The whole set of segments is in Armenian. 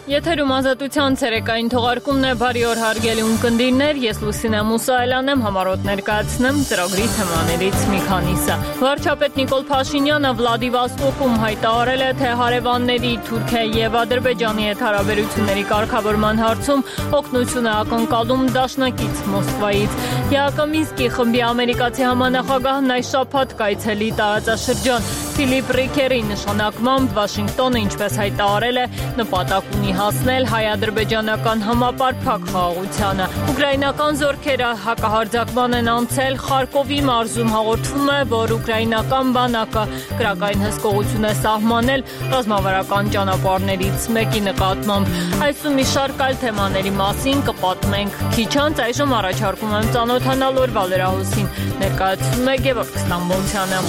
Եթերում ազատության ցերեկային թողարկումն է, բարի օր հարգելի ունկնդիրներ, ես Լուսինե Մուսայելյանն եմ, համառոտ ներկայացնեմ ծրագրի թեմաներից մի քանիսը։ Վարչապետ Նիկոլ Փաշինյանը Վլադիվոստոկում հայտարարել է, թե հարևանների Թուրքիայի եւ Ադրբեջանի հետ հարաբերությունների կարգավորման հարցում օգնություն է ակնկալում դաշնակից Մոսկվայից։ ԵԱԿ-ի խմբի ամերիկացի համանախագահն այս շաբաթ կայցելի տարածաշրջան Ֆիլիպ Ռիքերի նշանակմամբ Վաշինգտոնը, ինչպես հայտարարել է, նպատակ ունի հասնել հայ-ադրբեջանական համապարփակ խաղաղությանը։ Ուկրաինական զորքերը հակահարձակման են անցել Խարկովի մարզում, հաղորդվում է, որ ուկրաինական բանակը կրակային հսկողություն է սահմանել ռազմավարական ճանապարհներից մեկի նկատմամբ։ Այսօր մի շարք այլ թեմաների մասին կպատմենք քիչ անց, այժմ առաջարկում եմ ծանոթանալ օրվա լրահոսին, ներկայացնում է Գևորգ Ստամբոլցյանը։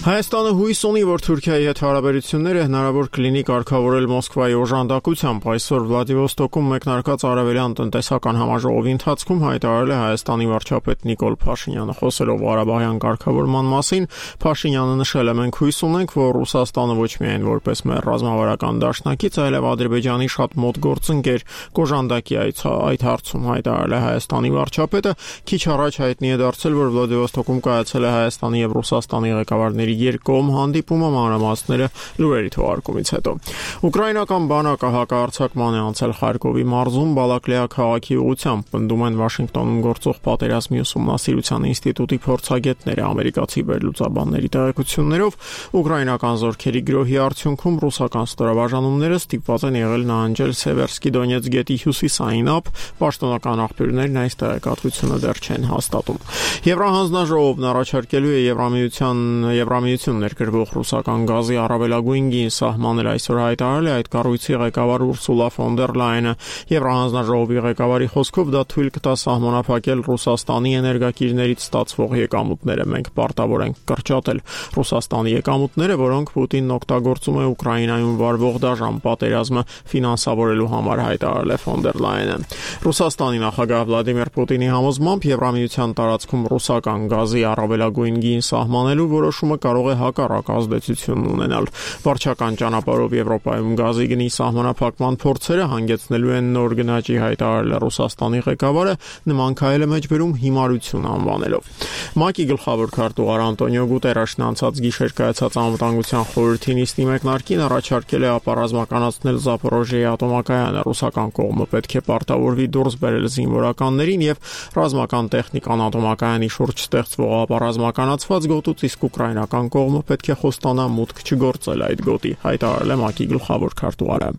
Հայաստանը հույս ունի, որ Թուրքիայի հետ հարաբերությունները հնարավոր կլինի կարգավորել Մոսկվայի օժանդակությամբ։ Այսօր Վլադիվոստոկում մեկնարկած արևելյան տնտեսական համաժողովի ընթացքում հայտարարել է Հայաստանի վարչապետ Նիկոլ Փաշինյանը։ Խոսելով Ղարաբաղյան կարգավորման մասին, Փաշինյանը նշել է. «Մենք հույս ունենք, որ Ռուսաստանը ոչ միայն որպես մեր ռազմավարական դաշնակից, այլև Ադրբեջանի շատ մոտ գործընկեր կօժանդակի այդ հարցում», հայտարարել է Հայաստանի վարչապետը։ Քիչ առաջ հայտնի է դարձել, որ Վլադիվոստոկում կայացել է Հայաստանի եւ Ռուսաստանի ղեկավարների երկկողմ հանդիպումը, մանրամասները լուրերի թողարկումից հետո։ Ուկրաինական բանակը հակահարձակման է անցել Խարկովի մարզում Բալակլեա քաղաքի ուղղությամբ, պնդում են Վաշինգտոնում գործող պատերազմի ուսումնասիրության ինստիտուտի փորձագետները։ Ամերիկացի վերլուծաբանների տեղեկություններով ուկրաինական զորքերի գրոհի արդյունքում ռուսական ստորաբաժանումները ստիպված են եղել նահանջել Սևերսկի Դոնեցկ գետի հյուսիսային ափ, պաշտոնական աղբյուրներն այս տեղեկատվությունը դեռ չեն հաստատում։ Եվրահանձնաժողովն առաջարկելու է Եվրամիություն ներկրվող ռուսական գազի առավելագույն գին սահմանել, այսօր հայտարարել է այդ կառույցի ղեկավար Ուրսուլա ֆոն դեր Լայենը։ Եվրահանձնաժողովի ղեկավարի խոսքով դա թույլ կտա սահմանափակել Ռուսաստանի էներգակիրներից ստացվող եկամուտները։ Մենք պարտավոր ենք կրճատել Ռուսաստանի եկամուտները, որոնք Պուտինն օգտագործում է Ուկրաինայում վարվող դաժան պատերազմը ֆինանսավորելու համար, հայտարարել է ֆոն դեր Լայենը։ Ռուսաստանի նախագահ Վլադիմիր Պուտինի համոզմամբ Եվրամիության տարածքում ռուսական գազի առավելագույն գին սահմանելու որոշումը կարող է հակառակ ազդեցություն ունենալ։ Վարչական ճանապարհով Եվրոպայում գազի գնի սահմանափակման փորձերը հանգեցնելու են նոր գնաճի, հայտարարել է Ռուսաստանի ղեկավարը, նման քայլը մեջբերում հիմարություն անվանելով։ ՄԱԿ-ի գլխավոր քարտուղար Անտոնիո Գուտերեշն անցած գիշեր կայացած անվտանգության խորհրդի նիստի մեկնարկին առաջարկել է ապառազմականացնել Զապորոժիեի ատոմակայանը։ Ռուսական կողմը պետք է պարտավորվի դուրս բերել զինվորականներին եւ ռազմական տեխնիկան ատոմակայանի շուրջ ստեղծվող ապառազմականացված գոտուց, իսկ ուկրաինական կողմը պետք է խոստանա մուտք չգործել այդ գոտի, հայտարարել է ՄԱԿ-ի գլխավոր քարտուղարը։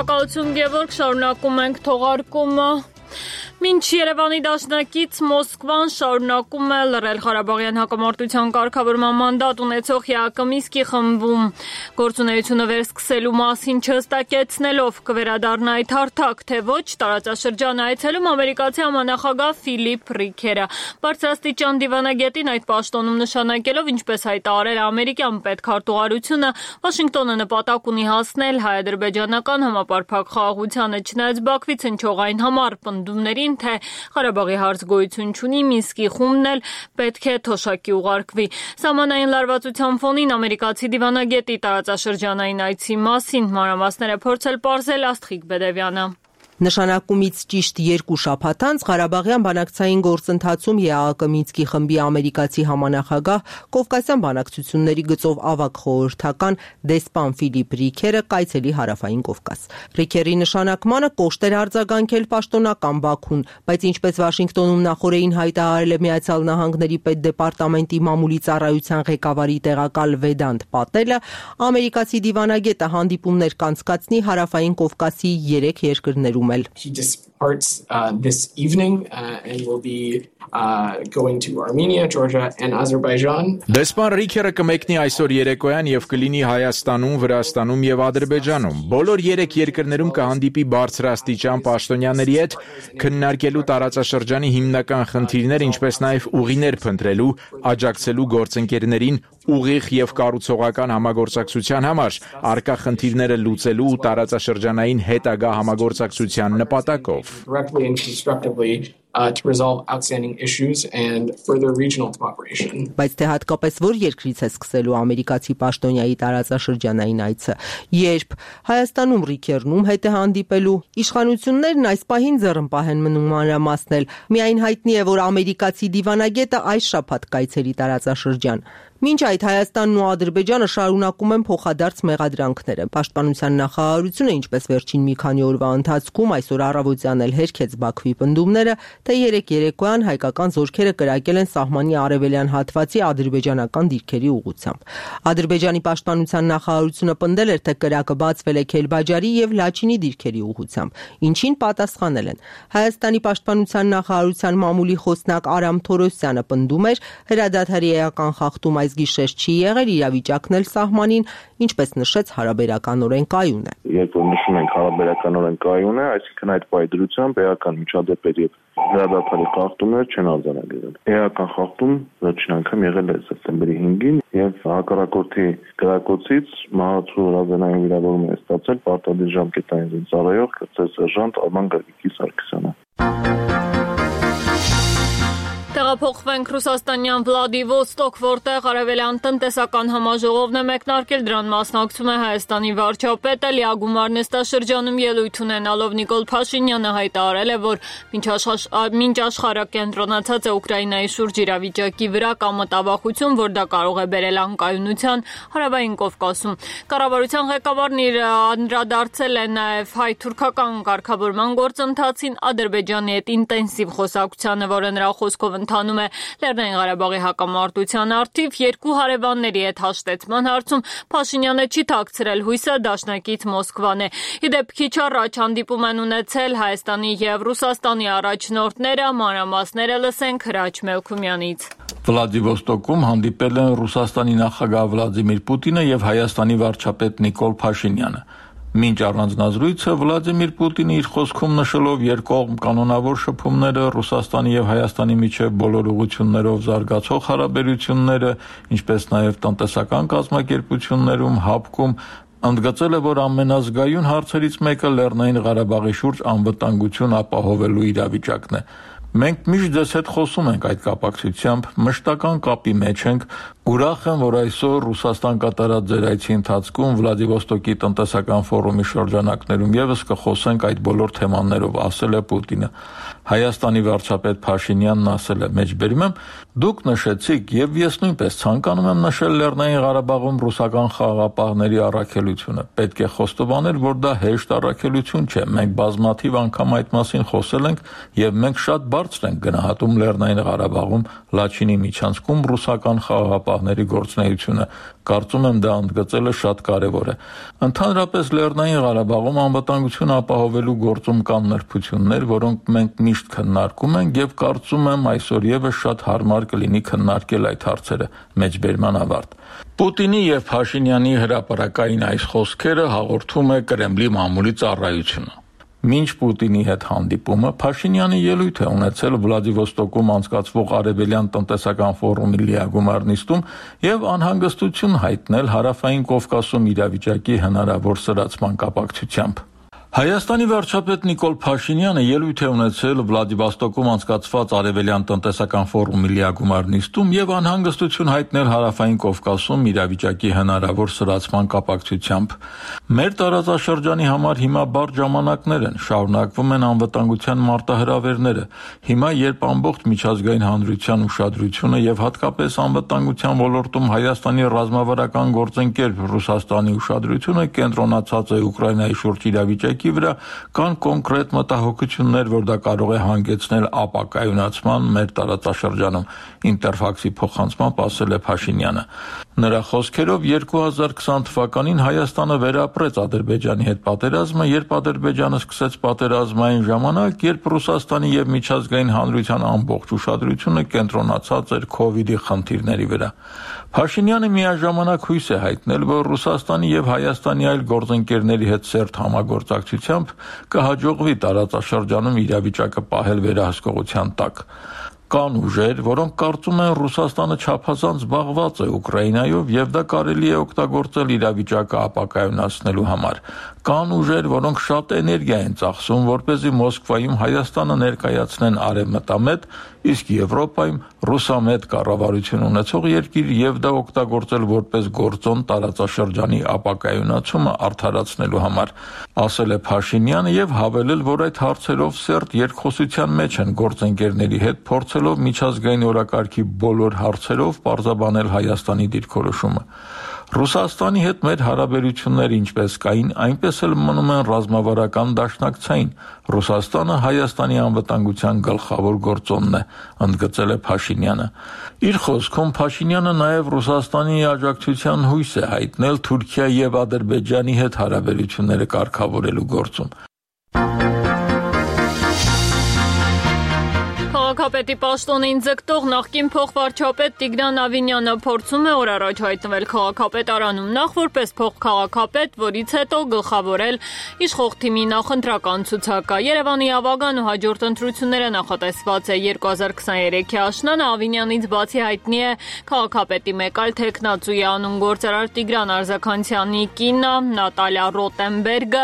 Շնորհակալություն Գևորգ, շարունակում ենք թողարկումը։ Մինչ Երևանի դաշնակից Մոսկվան շարունակում է լռել Ղարաբաղյան հակամարտության կարգավորման մանդատ ունեցող ԵԱԿ-ի խմբում գործունեությունը վերսկսելու մասին չհստակեցնելով կվերադառնա այդ հարթակ, թե ոչ տարածաշրջան այցելում ամերիկացի համանախագահ Ֆիլիպ Ռիքերը։ Բարձրաստիճան դիվանագետին այդ պաշտոնում նշանակելով, ինչպես հայտարարել ամերիկյան պետքարտուղարությունը, Վաշինգտոնը նպատակ ունի հասնել հայ-ադրբեջանական համապարփակ խաղաղությանը, չնայած Բաքվից հնչող այն համառ պնդումների թե Ղարաբաղի հարց գոյություն չունի, Մինսկի խումբն էլ պետք է թոշակի ուղարկվի։ Սահմանային լարվածության ֆոնին ամերիկացի դիվանագետի տարածաշրջանային այցի մասին մանրամասներ է փորձել պարզել Աստղիկ Բեդևյանը։ Նշանակումից ճիշտ 2 շաբաթ անց Ղարաբաղյան բանակցային գործընթացում ԵԱԿ Մինսկի խմբի ամերիկացի համանախագահ Կովկասյան բանակցությունների գծով ավագ խորհրդական դեսպան Ֆիլիպ Ռիքերը կայցելի հարավային Կովկաս։ Ռիքերի նշանակմանը կոշտ էր արձագանքել պաշտոնական Բաքուն, բայց ինչպես Վաշինգտոնում նախորդին հայտարարել է Միացյալ Նահանգների պետդեպարտամենտի մամուլի ծառայության ղեկավարի տեղակալ Վեդանտ Պատելը, ամերիկացի դիվանագետը հանդիպումներ կանցկացնի հարավային Կովկասի 3 երկրներում։ He just parts this evening and will be going to Armenia, Georgia and Azerbaijan. Դեսպան Ռիքերը կմեկնի այսօր երեկոյան եւ կլինի Հայաստանում, Վրաստանում եւ Ադրբեջանում։ Բոլոր 3 երկրներում կհանդիպի բարձրաստիճան պաշտոնյաների հետ, քննարկելու տարածաշրջանի հիմնական խնդիրներ, ինչպես նաեւ ուղիներ փնտրելու, աջակցելու գործընկերներին ուղիղ եւ կառուցողական համագործակցության համար, առկա խնդիրները լուծելու ու տարածաշրջանային հետագա համագործակցության նպատակով։ To resolve outstanding issues and further regional cooperation. Բայց թե հատկապես որ երկրից է սկսելու ամերիկացի պաշտոնյայի տարածաշրջանային այցը, երբ Հայաստանում Ռիքերնում հետ է հանդիպելու, իշխանություններն այս պահին ձեռնպահ են մնում մանրամասնել։ Միայն հայտնի է, որ ամերիկացի դիվանագետը այս շաբաթ կայցելի տարածաշրջան։ Մինչ այդ Հայաստանն ու Ադրբեջանը շարունակում են փոխադարձ մեղադրանքները։ Պաշտպանության նախարարությունը, ինչպես վերջին մի քանի օրվա ընթացքում այսօր առավոտյան էլ հերքեց Բաքվի պնդումները, թե երեկոյան հայկական զորքերը կրակել են սահմանի արևելյան հատվածի ադրբեջանական դիրքերի ուղղությամբ։ Ադրբեջանի պաշտպանության նախարարությունը պնդել էր, թե կրակը բացվել է Քելբաջարի եւ Լաչինի դիրքերի ուղղությամբ, ինչին պատասխանել են։ Հայաստանի պաշտպանության նախարարության մամուլի խոսնակ Արամ Թորոսյանը պնդում էր, հրադադարի էական խախտում այս գիշեր չի եղել, իրավիճակն էլ սահմանին, ինչպես նշեց, հարաբերականորեն կայուն է։ Երբ որ նշում ենք հարաբերականորեն կայուն է, այսինքն այդ պայդրությամբ էական միջադեպեր եւ հրադադարի խախտումներ չեն արձանագրվել։ Էական խախտում վերջին անգամ եղել է սեպտեմբերի 5-ին եւ հակառակորդի գրակոծից մահացու ռազենային վիրավորում է ստացել պարտադիր ժամկետային ծառայող կրծեր սերժանտ Արման Գագիկի Սարգսյանը։ Տեղափոխվենք Ռուսաստանյան Վլադիվոստոկ, որտեղ արևելյան տնտեսական համաժողովն է մեկնարկել, դրան մասնակցում է Հայաստանի վարչապետը, լիագումար նստաշրջանում ելույթ ունենալով Նիկոլ Փաշինյանը հայտարարել է, որ մինչ աշխարհը կենտրոնացած է Ուկրաինայի շուրջ իրավիճակի վրա, կա մտավախություն, որ դա կարող է բերել անկայունության Հարավային Կովկասում։ Կառավարության ղեկավարն իր անդրադարձել է նաև հայ-թուրքական կարգավորման գործընթացին, Ադրբեջանի հետ ինտենսիվ խոսակցությանը, որը նրա խոսքով ընթանում է Լեռնային Ղարաբաղի հակամարտության առթիվ, երկու հարևանների հետ հաշտեցման հարցում Փաշինյանը չի թաքցրել հույսը, դաշնակից Մոսկվան է։ Իդեպ քիչ առաջ հանդիպում են ունեցել Հայաստանի եւ Ռուսաստանի առաջնորդները, մանրամասները լսենք Հրաչ Մելքումյանից։ Վլադիվոստոկում հանդիպել են Ռուսաստանի նախագահ Վլադիմիր Պուտինը եւ Հայաստանի վարչապետ Նիկոլ Փաշինյանը։ Մինչ առանձնազրույցը Վլադիմիր Պուտինը իր խոսքում նշելով երկկողմ կանոնավոր շփումները Ռուսաստանի եւ Հայաստանի միջև բոլոր ուղղություններով զարգացող հարաբերությունները, ինչպես նաեւ տնտեսական կազմակերպություններում հապկում ընդգծել է, որ ամենազգայուն հարցերից մեկը Լեռնային Ղարաբաղի շուրջ անվտանգություն ապահովելու իրավիճակն է։ Մենք միշտ ձեզ հետ խոսում ենք այդ կապակցությամբ, մշտական կապի մեջ ենք, ուրախ եմ, որ այսօր Ռուսաստան կատարած ձեր այցի ընթացքում Վլադիվոստոկի տնտեսական ֆորումի շրջանակներում եւս կխոսենք այդ բոլոր թեմաներով, ասել է Պուտինը։ Հայաստանի վարչապետ Փաշինյանն ասել է. «Մեջբերում եմ, դուք նշեցիք եւ ես նույնպես ցանկանում եմ նշել Լեռնային Ղարաբաղում ռուսական խաղաղապահների առաքելությունը։ Պետք է խոստովանել, որ դա հեշտ առաքելություն չէ։ Մենք բազմաթիվ անգամ այդ մասին խոսել ենք եւ մենք շատ բարձր ենք գնահատում Լեռնային Ղարաբաղում Լաչինի միջանցքում ռուսական խաղաղապահների գործունեությունը։ Կարծում եմ դա ընդգծելը շատ կարեւոր է։ Ընդհանրապես Լեռնային Ղարաբաղում անվտանգություն ապահովելու գործում կան նրբություններ, որոնք մենք միշտ քննարկում ենք եւ կարծում եմ այսօր եւս շատ հարմար կլինի քննարկել այդ հարցերը»։ Մեջբերման ավարտ։ Պուտինի եւ Փաշինյանի հրապարակային այս խոսքերը հաղորդում է Կրեմլի մամուլի ծառայությունը։ Մինչ Պուտինի հետ հանդիպումը Փաշինյանը ելույթ է ունեցել Վլադիվոստոկում անցկացվող արևելյան տնտեսական ֆորումի լիագումար նիստում եւ անհանգստություն հայտնել Հարավային Կովկասում իրավիճակի հնարավոր սրացման կապակցությամբ։ Հայաստանի վարչապետ Նիկոլ Փաշինյանը ելույթ է ունեցել Վլադիվոստոկում անցկացված արևելյան տնտեսական ֆորումի լիագումար նիստում եւ անհանգստություն հայտնել Հարավային Կովկասում իրավիճակի հնարավոր սրացման կապակցությամբ։ Մեր տարածաշրջանի համար հիմա բարդ ժամանակներ են, շարունակվում են անվտանգության մարտահրավերները։ Հիմա, երբ ամբողջ միջազգային հանրության ուշադրությունը եւ հատկապես անվտանգության ոլորտում Հայաստանի ռազմավարական գործընկեր Ռուսաստանի ուշադրությունը կենտրոնացած է Ուկրաինայի շուրջ իրավիճակի օրակարգի վրա, կան կոնկրետ մտահոգություններ, որ դա կարող է հանգեցնել ապակայունացման մեր տարածաշրջանում, Ինտերֆաքսի փոխանցմամբ ասել է Փաշինյանը։ Նրա խոսքերով 2020 թվականին Հայաստանը վերապրեց Ադրբեջանի հետ պատերազմը, երբ Ադրբեջանը սկսեց պատերազմը այն ժամանակ, երբ Ռուսաստանի եւ միջազգային հանրության ամբողջ ուշադրությունը կենտրոնացած էր COVID-ի խնդիրների վրա։ Փաշինյանը միաժամանակ հույս է հայտնել, որ Ռուսաստանի եւ Հայաստանի այլ գործընկերների հետ սերտ համագործակցությամբ կհաջողվի տարածաշրջանում իրավիճակը պահել վերահսկողության տակ։ Կան ուժեր, որոնք կարծում են Ռուսաստանը չափազանց զբաղված է Ուկրաինայով եւ դա կարելի է օգտագործել իրավիճակը ապակայունացնելու համար։ Կան ուժեր, որոնք շատ էներգիա են ծախսում, որպեսզի Մոսկվայում Հայաստանը ներկայացնեն արևմտամետ, իսկ Եվրոպայում ռուսամետ կառավարություն ունեցող երկիր եւ դա օգտագործել որպես գործոն տարածաշրջանի ապակայունացումը արդարացնելու համար, ասել է Փաշինյանը եւ հավելել, որ այդ հարցերով սերտ երկխոսության մեջ են գործընկերների հետ փորձելով միջազգային օրակարգի բոլոր հարցերով պարզաբանել Հայաստանի դիրքորոշումը։ Ռուսաստանի հետ մեր հարաբերությունները ինչպես կային, այնպես էլ մնում են ռազմավարական դաշնակցային։ Ռուսաստանը Հայաստանի անվտանգության գլխավոր գործոնն է, ընդգծել է Փաշինյանը։ Իր խոսքում Փաշինյանը նաև Ռուսաստանի աջակցության հույս է հայտնել Թուրքիայի եւ Ադրբեջանի հետ հարաբերությունները կարգավորելու գործում։ Քաղաքապետի պաշտոնին ձգտող նախկին փոխվարչապետ Տիգրան Ավինյանը փորձում է օր առաջ հայտնվել քաղաքապետարանում նախ որպես փոխքաղաքապետ, որից հետո գլխավորել իշխող թիմի նախընտրական ցուցակը։ Երևանի ավագան ու հաջորդ ընտրությունները նախատեսված է 2023-ի աշնանը։ Ավինյանից բացի հայտնի է քաղաքապետի մեկ այլ թեկնածուի անուն գործարար Տիգրան Արզականցյանի կինը Նատալիա Ռոտենբերգը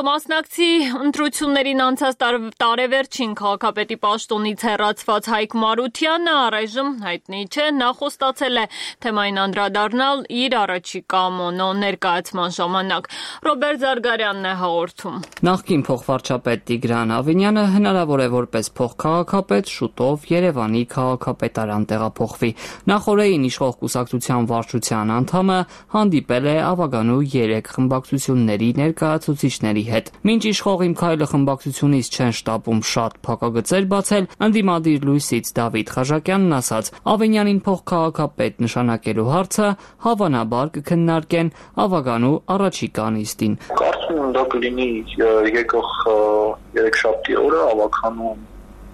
կմասնակցի ընտրություններին անցած տարեվերջին քաղաքապետի պաշտոնից հեռացված Հայկ Մարությանը առայժմ հայտնի չէ, նա խոստացել է թեմային անդրադառնալ իր առաջիկա մոնո ներկայացման ժամանակ։ Ռոբերտ Զարգարյանն է հաղորդում։ Նախկին փոխվարչապետ Տիգրան Ավինյանը հնարավոր է որպես փոխքաղաքապետ շուտով Երևանի քաղաքապետարան տեղափոխվի։ Նախորդին իշխող կուսակցության վարչության անդամը հանդիպել է ավագանու 3 խմբակցությունների ներկայացուցիչների հետ։ Մինչ իշխող Իմ քայլը խմբակցությունից չեն շտապում շատ փակագծեր բացել, ընդդիմադիր լույսից Դավիթ Խաչակյանն ասաց, Ավինյանին փոխքաղաքապետ նշանակելու հարցը հավանաբար կքննարկեն ավագանու առաջիկա նիստին։ Կարծում եմ դա կլինի եկող երեքշաբթի օրը ավագանու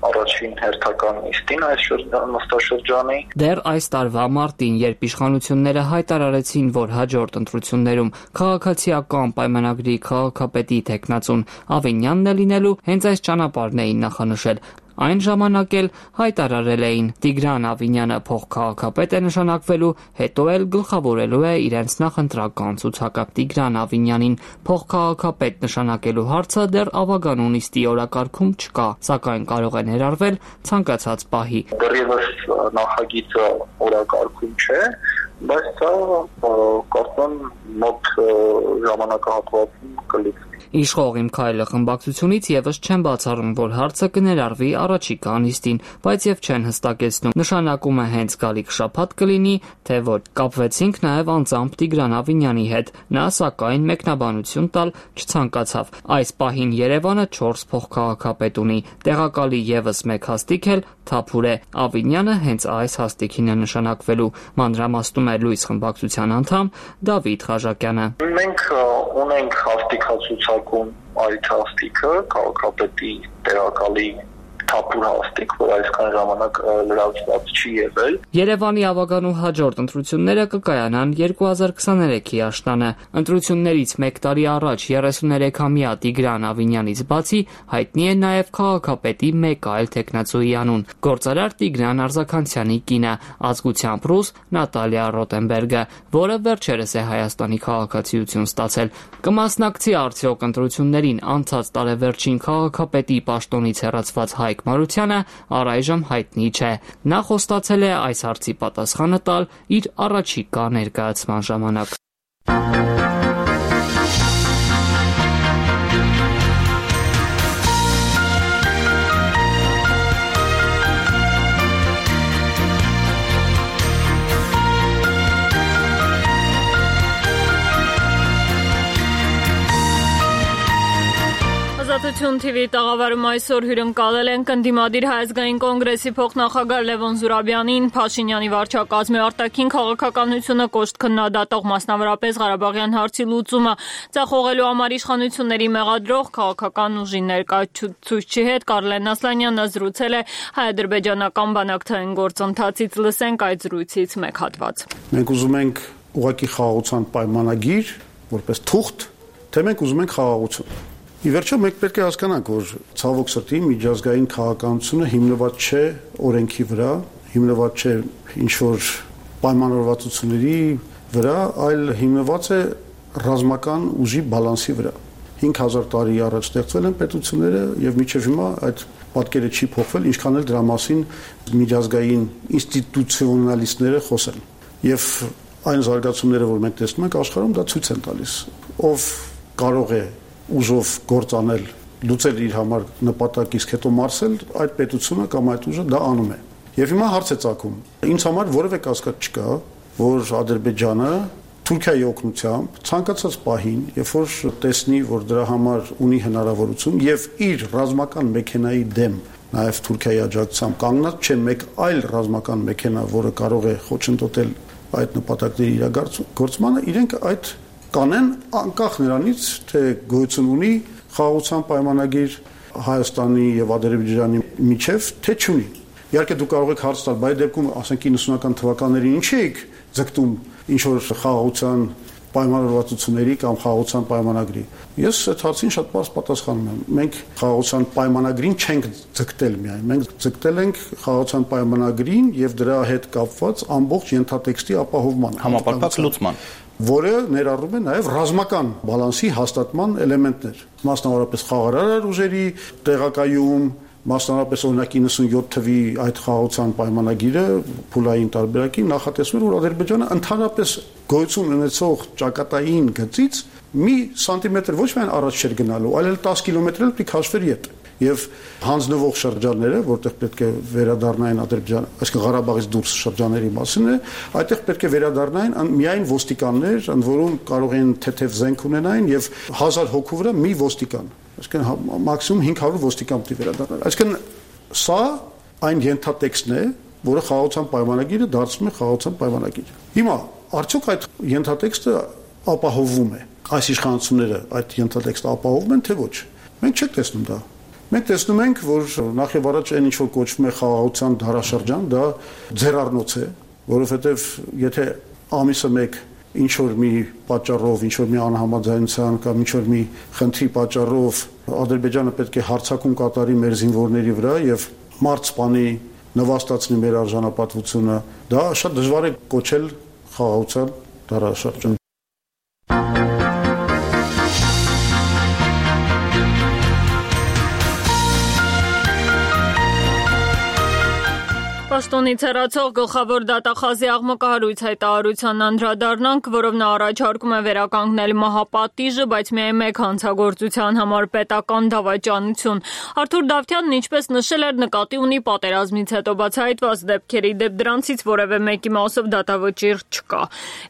առաջին հերթական նիստին այս նստաշրջանի։ Դեռ այս տարվա մարտին, երբ իշխանությունները հայտարարեցին, որ հաջորդ ընտրություններում քաղաքացիական պայմանագրի քաղաքապետի թեկնածուն Ավինյանն է լինելու, հենց այս ճանապարհն էին նախանշել։ Այն ժամանակ էլ հայտարարել էին Տիգրան Ավինյանը փոխքաղաքապետ է նշանակվելու, հետո էլ գլխավորելու է իրենց նախընտրական ցուցակը։ Տիգրան Ավինյանին փոխքաղաքապետ նշանակելու հարցը դեռ ավագանու նիստի օրակարգում չկա, սակայն կարող է ներառվել ցանկացած պահի։ Դեռևս նախագիծը օրակարգում չէ, բայց սա կարծում մոտ ժամանակահատվածում կլինի։ Իշխող Իմ քայլը խմբակցությունից եւս չեն բացառում, որ հարցը կներառվի առաջիկա նիստին, բայց եւ չեն հստակեցնում նշանակումը հենց գալիք շաբաթ կլինի, թե ոչ։ Կապվեցինք նաեւ անձամբ Տիգրան Ավինյանի հետ, նա սակայն մեկնաբանություն տալ չցանկացավ։ Այս պահին Երևանը 4 փոխքաղաքապետ ունի, տեղակալի եւս 1 հաստիք էլ Թափուր է։ Ավինյանը հենց այս հաստիքին է նշանակվելու, մանրամասնում է լույս խմբակցության անդամ Դավիթ Խաչակյանը։ Մենք ունենք հաստիքացուցակում այդ հաստիքը քաղաքապետի տեղակալի Թափուր հաստիք, որ այսքան ժամանակ լրացված չի եղել։ Երևանի ավագանու հաջորդ ընտրությունները կկայանան 2023-ի աշնանը։ Ընտրություններից 1 տարի առաջ 33-ամյա Տիգրան Ավինյանից բացի հայտնի է նաև քաղաքապետի մեկ այլ թեկնածուի անուն՝ գործարար Տիգրան Արզականցյանի կինը, ազգությամբ ռուս Նատալիա Ռոտենբերգը, որը վերջերս է Հայաստանի քաղաքացիություն ստացել։ Կմասնակցի արդյոք ընտրություններին անցած տարեվերջին քաղաքապետի պաշտոնից հեռացված Հայկ Մարությանը առայժմ հայտնի չէ։ Նա խոստացել է այս հարցի պատասխանը տալ իր առաջիկա ներկայացման ժամանակ։ Ազատություն TV տաղավարում այսօր հյուրընկալել են ընդդիմադիր Հայազգային կոնգրեսի փոխնախագահ Լևոն Զուրաբյանին, Փաշինյանի վարչակազմի արտաքին քաղաքականությունը կոշտ քննադատող, մասնավորապես Ղարաբաղյան հարցի լուծումը ձախողելու համար իշխանությունների մեղադրող քաղաքական ուժի ներկայացուցչի հետ Կարլեն Ասլանյանը զրուցել է հայ-ադրբեջանական բանակցային գործընթացից։ Լսենք այդ զրույցից մեկ հատված։ Մենք ուզում ենք ուղղակի խաղաղության պայմանագիր, որպես թուղթ, թե մենք ուզում ենք խաղաղություն։ Ի վերջո մենք պետք է հասկանանք, որ ցավոք սրտի միջազգային քաղաքականությունը հիմնված չէ օրենքի վրա, հիմնված չէ ինչ-որ պայմանավորվածությունների վրա, այլ հիմնված է ռազմական ուժի բալանսի վրա։ 5000 տարի առաջ ստեղծվել են պետությունները եւ մինչեւ հիմա այդ պատկերը չի փոխվել, ինչքան էլ դրա մասին միջազգային ինստիտուցիոնալիստները խոսեն։ Եվ այն զարգացումները, որ մենք տեսնում ենք աշխարհում, դա ցույց են տալիս, ով կարող է ուժով գործանել, լուծել իր համար նպատակ, իսկ հետո մարսել, այդ պետությունը կամ այդ ուժը դա անում է։ Եվ հիմա հարց է ծագում։ Ինձ համար որևէ կասկած չկա, որ Ադրբեջանը Թուրքիայի օգնությամբ ցանկացած պահին, երբ որ տեսնի, որ դրա համար ունի հնարավորություն եւ իր ռազմական մեքենայի դեմ նաեւ Թուրքիայի աջակցությամբ կանգնած չէ մեկ այլ ռազմական մեքենա, որը կարող է խոչընդոտել այդ նպատակների իրագործմանը, իրենք այդ կանեն անկախ նրանից, թե գոյություն ունի խաղաղության պայմանագիր Հայաստանի եւ Ադրբեջանի միջև, թե չունի։ Իհարկե դուք կարող եք հարց տալ, բայց դեպքում, ասենք 90-ական թվականներին ինչ եք ձգտում ինչ որ խաղաղության պայմանավորվածությունների կամ խաղաղության պայմանագրի։ Ես այդ հարցին շատ բարձ պատասխանում եմ։ Մենք խաղաղության պայմանագրին չենք ձգտել միայն, մենք ձգտել ենք խաղաղության պայմանագրին եւ դրա հետ կապված ամբողջ ենթատեքստի ապահովմանը, համապարփակ լուծման, որը ներառում է նաև ռազմական բալանսի հաստատման էլեմենտներ, մասնավորապես խաղաղարար ուժերի տեղակայում, մասնավորապես օրինակ 97 թվի այդ խաղաղության պայմանագիրը փուլային տարբերակի նախատեսում էր, որ Ադրբեջանը ընդհանրապես գոյություն ունեցող ճակատային գծից մի սանտիմետր ոչ միայն առաջ չէր գնալու, այլ 10 կիլոմետր էլ պետք է քաշվեր ետ։ Եվ հանձնվող շրջանները, որտեղ պետք է վերադառնային Ադրբեջան, այսինքն Ղարաբաղից դուրս շրջանների մասին է, այդտեղ պետք է վերադառնային միայն ոստիկաններ, ընդ որում կարող են թեթև զենք ունենային եւ 1000 հոգու վրա մի ոստիկան, այսինքն մաքսիմում 500 ոստիկան պետք է վերադառնար։ Այսինքն սա այն ենթատեքստն է, որը խաղաղության պայմանագիրը դարձնում է խաղաղության պայմանագիր։ Հիմա արդյոք այդ ենթատեքստը ապահովում է, այս իշխանությունները այդ ենթատեքստը ապահովում են, թե ոչ։ Մենք չենք տեսնում դա։ Մենք տեսնում ենք, որ նախ եւ առաջ այն ինչ որ կոչվում է խաղաղության դարաշրջան, դա ձեռառնոց է, որովհետեւ եթե ամիսը մեկ ինչ որ մի պատճառով, ինչ որ մի անհամաձայնության կամ ինչ որ մի խնդրի պատճառով Ադրբեջանը պետք է հարձակում կատարի մեր զինվորների վրա եւ մարդ սպանի, նվաստացնի մեր արժանապատվությունը, դա շատ դժվար է կոչել խաղաղության դարաշրջան։ Պաշտոնից հեռացող գլխավոր դատախազի աղմկահարույց հայտարարության անդրադառնանք, որով նա առաջարկում է վերականգնել մահապատիժը, բայց միայն մեկ հանցագործության համար պետական դավաճանություն։ Արթուր Դավթյանն ինչպես նշել էր, նկատի ունի պատերազմից հետո բացահայտված դեպքերի դեպ դրանցից որևէ մեկի մասով դատավճիռ չկա։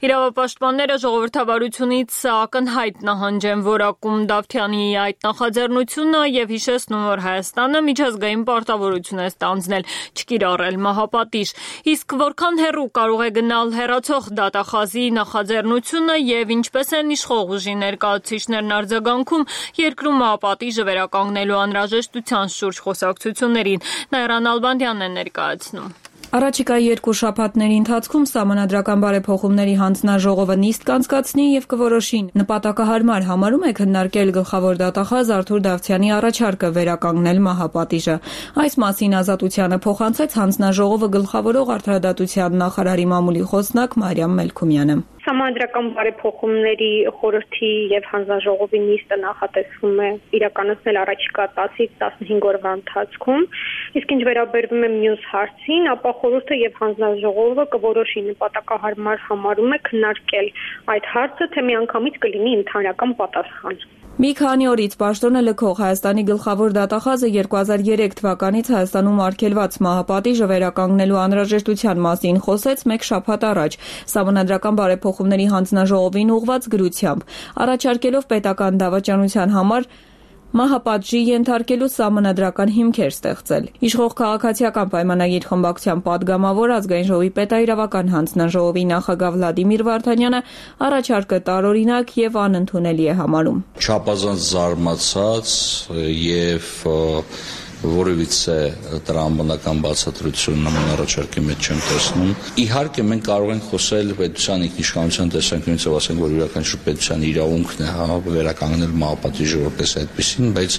Իրավապաշտպանները ժողովրդավարությունից ակնհայտ նահանջ են որակում Դավթյանի այդ նախաձեռնությունը եւ հիշեցնում, որ Հայաստանը միջազգային պարտավորություն է ստանձնել չկիրառել մահապատիժ, իսկ որքան հեռու կարող է գնալ հեռացող դատախազի նախաձեռնությունը եւ ինչպես են իշխող ուժի ներկայացուցիչներն արձագանքում երկրում մահապատիժը վերականգնելու անհրաժեշտության շուրջ խոսակցություններին, Նայրան Ալբանդյանն է ներկայացնում։ Առաջիկա 2 շաբաթների ընթացքում Սահմանադրական բարեփոխումների հանձնաժողովը նիստ կանցկացնի եւ կորոշի նպատակահարմար համարում է քննարկել գլխավոր դատախազ Արթուր Դավթյանի առաջարկը վերականգնել մահապատիժը։ Այս մասին Ազատությանը փոխանցեց հանձնաժողովը գլխավորող Արդարադատության նախարարի մամուլի խոսնակ Մարիամ Մելքումյանը։ Սահմանադրական բարեփոխումների խորհրդի եւ հանձնաժողովի նիստը նախատեսվում է իրականացնել առաջիկա 10-ից 15 օրվա ընթացքում, իսկ ինչ վերաբերվում է մյուս հարցին, ապա խորհուրդը եւ հանձնաժողովը կորոշի նպատակահարմար համարում է քննարկել այդ հարցը, թե միանգամից կլինի ընդհանրական պատասխան։ Մի քանի օրից պաշտոնը լքող Հայաստանի գլխավոր դատախազը 2003 թվականից Հայաստանում արգելված մահապատիժը վերականգնելու անհրաժեշտության մասին խոսեց մեկ շաբաթ առաջ Սահմանադրական բարեփոխումների հանձնաժողովին ուղղված գրությամբ, առաջարկելով պետական դավաճանության համար մահապատժի ենթարկելու սահմանադրական հիմքեր ստեղծել։ Իշխող քաղաքացիական պայմանագիր խմբակցության պատգամավոր ազգային ժողովի պետաիրավական հանձնաժողովի նախագահ Վլադիմիր Վարդանյանը առաջարկը տարօրինակ եւ անընդունելի է համարում։ Չափազանց զարմացած եւ որևիցե տրամաբանական բացատրություն նման առաջարկի մեջ չեմ տեսնում։ Իհարկե մենք կարող ենք խոսել պետության ինքնիշխանության տեսանկյունից եւ ասենք, որ յուրաքանչյուր պետության իրավունքն է վերականգնել մահապատիժը որպես այդպեսին, բայց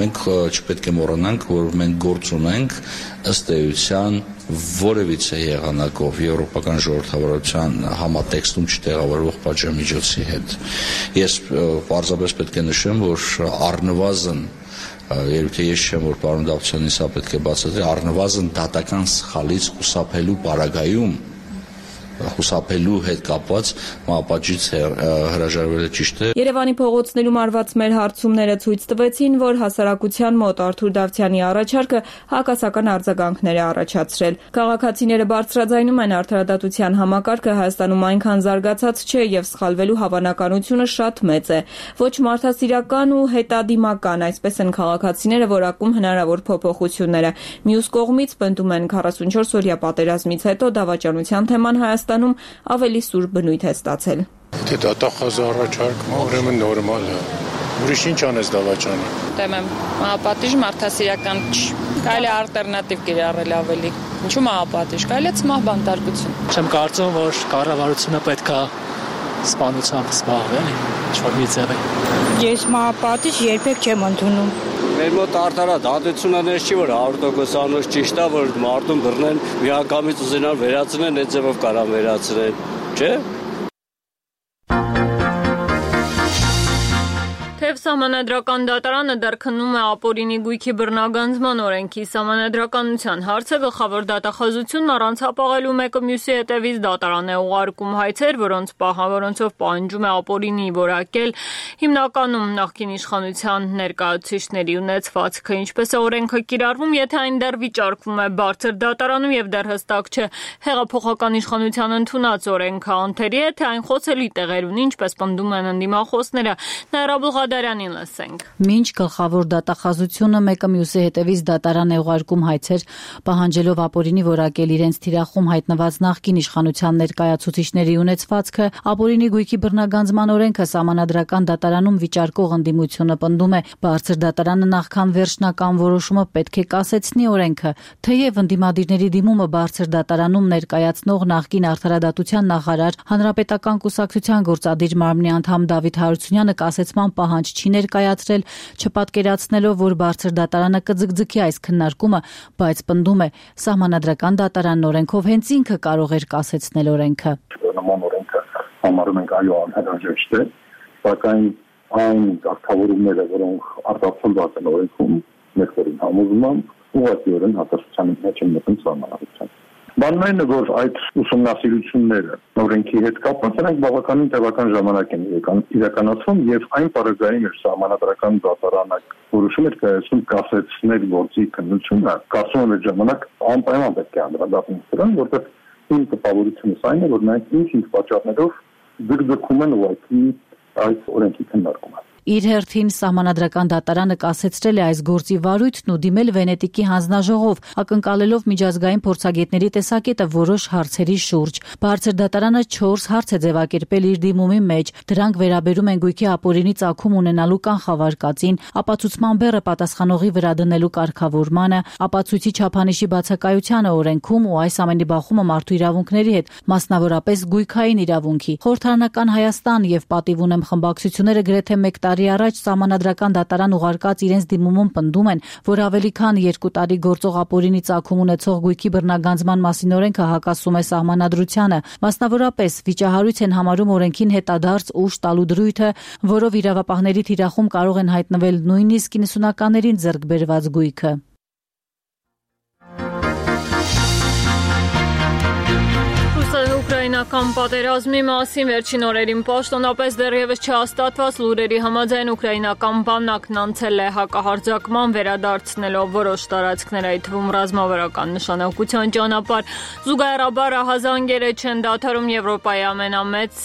մենք չպետք է մոռանանք, որ մենք գործ ունենք ըստ էության որևիցե եղանակով եվրոպական ժողովրդավարության համատեքստում չտեղավորվող պատժամիջոցի հետ։ Ես պարզապես պետք է նշեմ, որ առնվազն երբ թե ես չեմ, որ պարոն Դավթյանին սա պետք է բացատրի, առնվազն դատական սխալից խուսափելու պարագայում խուսափելու հետ կապված մահապատժից հրաժարվելը ճիշտ է։ Երևանի փողոցներում արված մեր հարցումները ցույց տվեցին, որ հասարակության մոտ Արթուր Դավթյանի առաջարկը հակասական արձագանքներ է առաջացրել։ Քաղաքացիները բարձրաձայնում են արդարադատության համակարգը Հայաստանում այնքան զարգացած չէ եւ սխալվելու հավանականությունը շատ մեծ է։ Ոչ մարդասիրական ու հետադիմական, այսպես են քաղաքացիները որակում հնարավոր փոփոխությունները։ Մյուս կողմից պնդում են 44 օրյա պատերազմից հետո դավաճանության թեման Հայաստանում ավելի սուր բնույթ է ստացել։ Դե դատախազ առաջարկը ուրեմն նորմալ է։ Ուրիշ ինչ անես դավաճանի։ Դեմ եմ, մահապատիժ մարդասիրական չի։ Կարելի է ալտերնատիվ կիրառել ավելի։ Ինչու մահապատիժ, կարելի է ցմահ բանտարկություն։ Չեմ կարծում, որ կառավարությունը պետք է սպանությամբ զբաղվել, ինչ-որ մի ձև է։ Ես մահապատիժ երբեք չեմ ընդունում։ Մեր մոտ արդարադատությունը ներս չի, որ 100% անոց ճիշտ է, որ մարդուն բռնեն, միանգամից ուզենան վերացնեն, այդ ձևով կարան վերացնել, չէ՞։ Թեև Սահմանադրական դատարանը դեռ քննում է ապօրինի գույքի բռնագանձման օրենքի սահմանադրականության հարցը, գլխավոր դատախազությունն առանց հապաղելու մեկը մյուսի հետևից դատարան է ուղարկում հայցեր, որոնցով պահանջում է ապօրինի որակել հիմնականում նախկին իշխանության ներկայացուցիչների ունեցվածքը, ինչպես է օրենքը կիրառվում, եթե այն դեռ վիճարկվում է բարձր դատարանում եւ դեռ հստակ չէ հեղափոխական իշխանության ընդունած օրենքը անթերի է, թե այն խոցելի տեղեր ունի, ինչպես պնդում են ընդդիմախոսները։ Դարյանին լսենք։ Մինչ գլխավոր դատախազությունը մեկը մյուսի հետևից դատարան է ուղարկում հայցեր, պահանջելով ապօրինի որակել իրենց թիրախում հայտնված նախկին իշխանության ներկայացուցիչների ունեցվածքը, ապօրինի գույքի բռնագանձման օրենքը սահմանադրական դատարանում վիճարկող ընդդիմությունը պնդում է, բարձր դատարանը նախքան վերջնական որոշումը պետք է կասեցնի օրենքը, թեև ընդդիմադիրների դիմումը բարձր դատարանում ներկայացնող նախկին արդարադատության նախարար Հանրապետական կուսակցության գործադիր մարմնի անդամ Դավիթ Հարությունյանը կասեցման պահանջ չի ներկայացրել, չպատկերացնելով, որ բարձր դատարանը կձգձգի այս քննարկումը, բայց պնդում է, սահմանադրական դատարանն օրենքով հենց ինքը կարող էր կասեցնել օրենքը։ Նման օրենքը համարում ենք այո անհրաժեշտ է, սակայն այն ակտավորումները, որոնք արտացոլված են օրենքում, մեկ-որին համոզմամբ, ուղղակիորեն հակասության մեջ են մտնում սահմանադրության։ Բանն այն է, որ այդ ուսումնասիրությունները օրենքի հետ կապված նրանք բավականին տևական ժամանակ են իրականացվում եւ այն պարագային էր սահմանադրական դատարանը որոշում էր կայացնում կասեցնել գործի քննությունը, կարծում եմ այդ ժամանակ անպայման պետք է անդրադառնանք դրան, որտեղ իմ տպավորությունս այն է, որ նրանք ինչ-ինչ պատճառներով ձգձգում են ուղղակի այս օրենքի քննարկումը։ Իր հերթին սահմանադրական դատարանը կասեցրել է այս գործի վարույթն ու դիմել Վենետիկի հանձնաժողով, ակնկալելով միջազգային փորձագետների տեսակետը որոշ հարցերի շուրջ։ Բարձր դատարանը 4 հարց է ձևակերպել իր դիմումի մեջ։ Դրանք վերաբերում են գույքի ապօրինի ծագում ունենալու կանխավարկածին, ապացուցման բեռը պատասխանողի վրա դնելու կարգավորմանը, ապացույցի չափանիշի բացակայությանը օրենքում ու այս ամենի բախումը մարդու իրավունքների հետ, մասնավորապես գույքային իրավունքի։ Խորհրդարանական Հայաստան եւ Պատիվ ունեմ խմբակցությունները գրեթե 1 տարի առաջ սահմանադրական դատարան ուղարկած իրենց դիմումում պնդում են, որ ավելի քան 2 տարի գործող ապօրինի ծագում ունեցող գույքի բռնագանձման մասին օրենքը հակասում է սահմանադրությանը։ Մասնավորապես վիճահարույց են համարում օրենքին հետադարձ ուժ տալու դրույթը, որով իրավապահների թիրախում կարող են հայտնվել նույնիսկ 90-ականներին ձեռք բերված գույքը։ Ռուս-ուկրաինական պատերազմի մասին վերջին օրերին պաշտոնապես դեռևս չհաստատված լուրերի համաձայն ուկրաինական բանակն անցել է հակահարձակման, վերադարձնելով որոշ տարածքներ, այդ թվում ռազմավարական նշանակության ճանապարհ։ Զուգահեռաբար ահազանգերը չեն դադարում Եվրոպայի ամենամեծ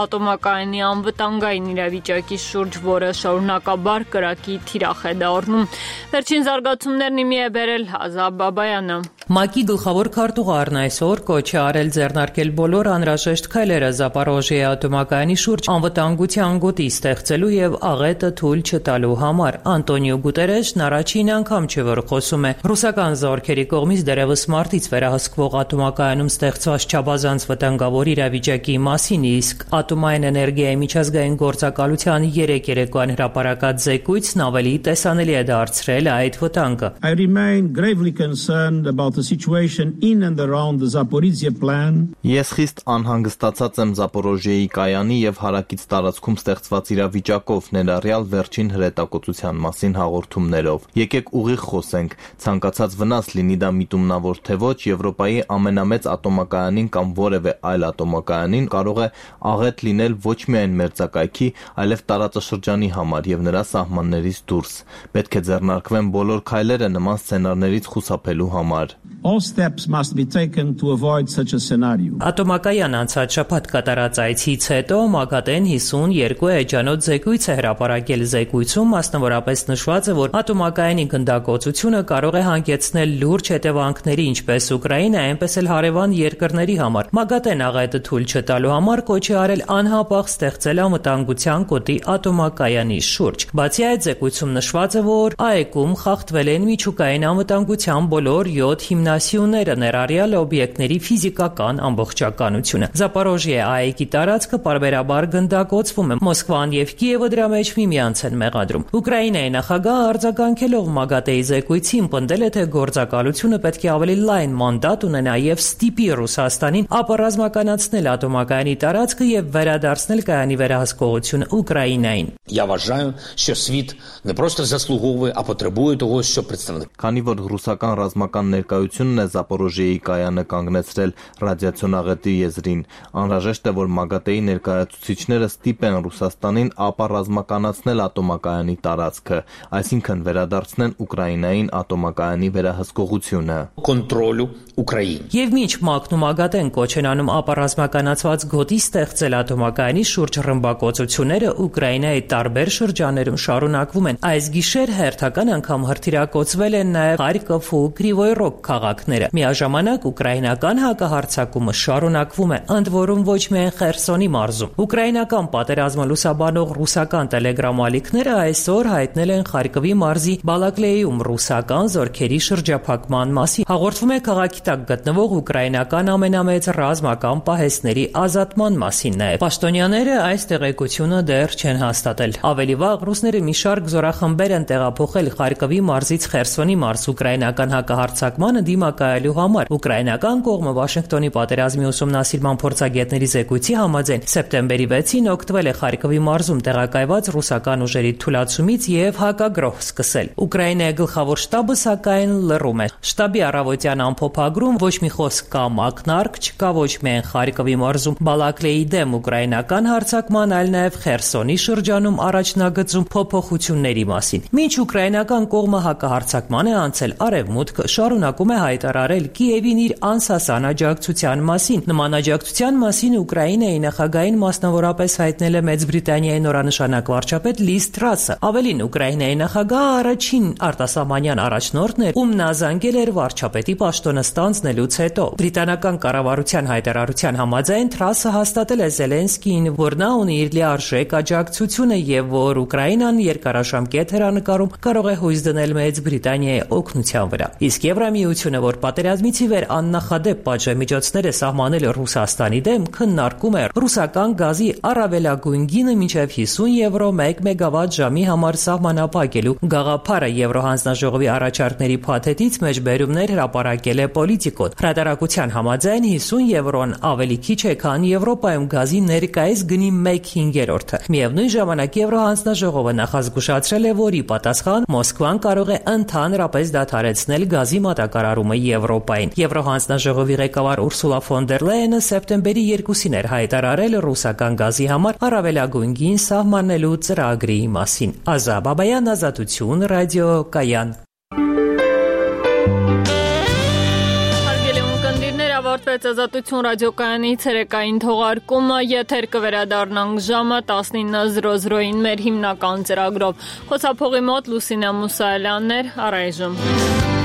ատոմակայանի անվտանգային իրավիճակի շուրջ, որը շարունակաբար կրակի թիրախ է դառնում։ Վերջին զարգացումներն իմի է բերել Ազաբ Բաբայանը։ ՄԱԿ-ի գլխավոր քարտուղարն այսօր կոչ է արել ձեռնարկել բոլոր անհրաժեշտ քայլերը Զապորոժիեի ատոմակայանի շուրջ անվտանգության գոտի ստեղծելու եւ աղետը թույլ չտալու համար։ Անտոնիո Գուտերեշն առաջին անգամ չէ, որ խոսում է ռուսական զորքերի կողմից դեռևս մարտից վերահսկվող ատոմակայանում ստեղծված չափազանց վտանգավոր իրավիճակի մասին, իսկ ատոմային էներգիայի միջազգային գործակալության 3 երեկոյան հրապարակած զեկույցն ավելի տեսանելի է դարձրել այդ վտանգը։ I remain gravely concerned about the situation in and around the Zaporizhzhia plan. Ես խիստ անհանգստացած եմ Զապորոժիեի կայանի եւ հարակից տարածքում ստեղծված իրավիճակով, ներառյալ վերջին հրետակոծության մասին հաղորդումներով։ Եկեք ուղիղ խոսենք, ցանկացած վնաս լինի դա միտումնավոր թե ոչ, Եվրոպայի ամենամեծ ատոմակայանին կամ որևէ այլ ատոմակայանին կարող է աղետ լինել ոչ միայն մերձակայքի, այլև տարածաշրջանի համար եւ նրա սահմաններից դուրս։ Պետք է ձեռնարկվեն բոլոր քայլերը նման սցենարներից խուսափելու համար։ All steps must be taken to avoid such a scenario. Ատոմակայան անցած շաբաթ կատարած այցից հետո ՄԱԳԱՏԷ-ն 52 էջանոց զեկույց է հրապարակել։ Զեկույցում մասնավորապես նշված է, որ ատոմակայանի գնդակոծությունը կարող է հանգեցնել լուրջ հետևանքների ինչպես Ուկրաինայի, այնպես էլ հարևան երկրների համար։ ՄԱԳԱՏԷ-ն աղետը թույլ չտալու համար կոչ է արել անհապաղ ստեղծել անվտանգության գոտի ատոմակայանի շուրջ։ Բացի այդ, զեկույցում նշված է, որ ԱԵԿ-ում խախտվել են միջուկային անվտանգության բոլոր 7 հիմնասյուները, ներառյալ օբյեկտների ֆիզիկական ամբողջականությունը։ Զապորոժիե ԱԵԿ-ի տարածքը պարբերաբար գնդակոծվում է։ Մոսկվան եւ Կիևը դրա մեջ միմյանց են մեղադրում։ Ուկրաինայի նախագահը արձագանքելով ՄԱԳԱՏԷ-ի զեկույցին պնդել է, թե գործակալությունը պետք է ավելի լայն մանդատ ունենա եւ ստիպի Ռուսաստանին ապառազմականացնել ատոմակայանի տարածքը եւ վերադարձնել կայանի վերահսկողությունը Ուկրաինային։ Я вважаю, що світ не просто заслуговує, а потребує того, що представник. Քանի որ ռուսական ռազմական ներկայությունն է Զապորոժիեի կայանը կանգնեցրել ռադիացիոն աղետի եզրին, անհրաժեշտ է, որ ՄԱԳԱՏԷ-ի ներկայացուցիչները ստիպեն Ռուսաստանին ապառազմականացնել ատոմակայանի տարածքը, այսինքն վերադարձնեն Ուկրաինային ատոմակայանի վերահսկողությունը։ Կոնտրոլю Ուկրաին։ Եվ մինչ ՄԱԿ-ն ու ՄԱԳԱՏԷ-ն կոչ են անում ապառազմականացված գոտի ստեղծել ատոմակայանի շուրջ ռմբակոծությունները Ուկրաինայի տարբեր շրջաններում շարունակվում են։ Այս գիշեր հերթական անգամ հրթիռակոծվել են նաև Խարկով ու Կրիվոյ Ռոգ քաղաքները։ Միաժամանակ ուկրաինական հակահարձակումը շարունակվում է, ընդ որում ոչ միայն Խերսոնի մարզում։ Ուկրաինական պատերազմը լուսաբանող ռուսական տելեգրամ-ալիքները այսօր հայտնել են Խարկովի մարզի Բալակլեյում ռուսական զորքերի շրջափակման մասին։ Հաղորդվում է քաղաքի տակ գտնվող ուկրաինական ամենամեծ ռազմական պահեստների ազատման մասին նաև։ Պաշտոնյաները այս տեղեկությունը դեռ չեն հաստատել։ Ավելի վաղ ռուսները մի շարք զորախմբեր են տեղափոխել Խարկովի մարզից Խերսոնի մարզ ուկրաինական հակահարձակմանը դիմակայելու համար։ Ուկրաինական կողմը Վաշինգտոնի պատերազմի ուսումնասիրման փորձագետների զեկույցի համաձայն սեպտեմբերի 6-ին օգտվել է Խարկովի մարզում տեղակայված ռուսական ուժերի թուլացումից եւ հակագրոհ սկսել։ Ուկրաինայի գլխավոր շտաբը սակայն լռում է։ Շտաբի առավոտյան ամփոփագրում ոչ մի խոսք կամ ակնարկ չկա ոչ միայն Խարկովի մարզում Բալակլեի դեմ ուկրաինական հարձակման, այլ նաեւ Խերսոնի շրջանում առաջնագծում փոփոխությունների մասին։ Մինչ ուկրաինական կողմը հակահարձակման է անցել, Արևմուտքը շարունակում է հայտարարել Կիևին իր անսասան աջակցության մասին։ Նման աջակցության մասին Ուկրաինայի նախագահին մասնավորապես հայտնել է Մեծ Բրիտանիայի նորանշանակ վարչապետ Լիզ Տրասը։ Ավելին, Ուկրաինայի նախագահը առաջին արտասահմանյան առաջնորդն էր, ում նա զանգել էր վարչապետի պաշտոնը ստանձնելուց հետո։ Բրիտանական կառավարության հայտարարության համաձայն Տրասը հաստատել է Զելենսկիին, որ նա ունի իր լիարժեք աջակցությունը եւ որ Ուկրաինան երկարաժամկետ հեռանկարում կարող է հույս դնել Մեծ Բրիտանիայի օգնության վրա։ Իսկ Եվրամիությունը, որ պատերազմից ի վեր աննախադեպ պատժամիջոցներ է սահմանել Ռուսաստանի դեմ, քննարկում է ռուսական գազի առավելագույն գինը մինչև 50 եվրո 1 մեգավատ ժամի համար սահմանափակելու գաղափարը Եվրոհանձնաժողովի առաջարկների փաթեթից մեջբերումներ հրապարակել է Պոլիտիկոն։ Հրատարակության համաձայն 50 եվրոն ավելի քիչ է, քան Եվրոպայում գազի ներկայիս գնի 1/5-ը։ Միևնույն ժամանակ Եվրոհանձնաժողովը նախազգուշացրել է, որ ի պատասխան Մոսկվան կարող է ընդհանրապես դադարեցնել գազի մատակարարումը կիրառումը Եվրոպային։ Եվրոհանձնաժողովի ղեկավար Ուրսուլա ֆոն դեր Լայենը սեպտեմբերի 2-ին էր հայտարարել ռուսական գազի համար առավելագույն գին սահմանելու ծրագրի մասին։ Ազա Բաբայան, Ազատություն, ռադիո Կայան։ Ավարտվեց Ազատություն ռադիոկայանի ցերեկային թողարկումը, եթեր կվերադառնանք ժամը 19:00-ին մեր հիմնական ծրագրով։ Խոսափողի մոտ Լուսինե Մուսայելյանն էր, առայժմ։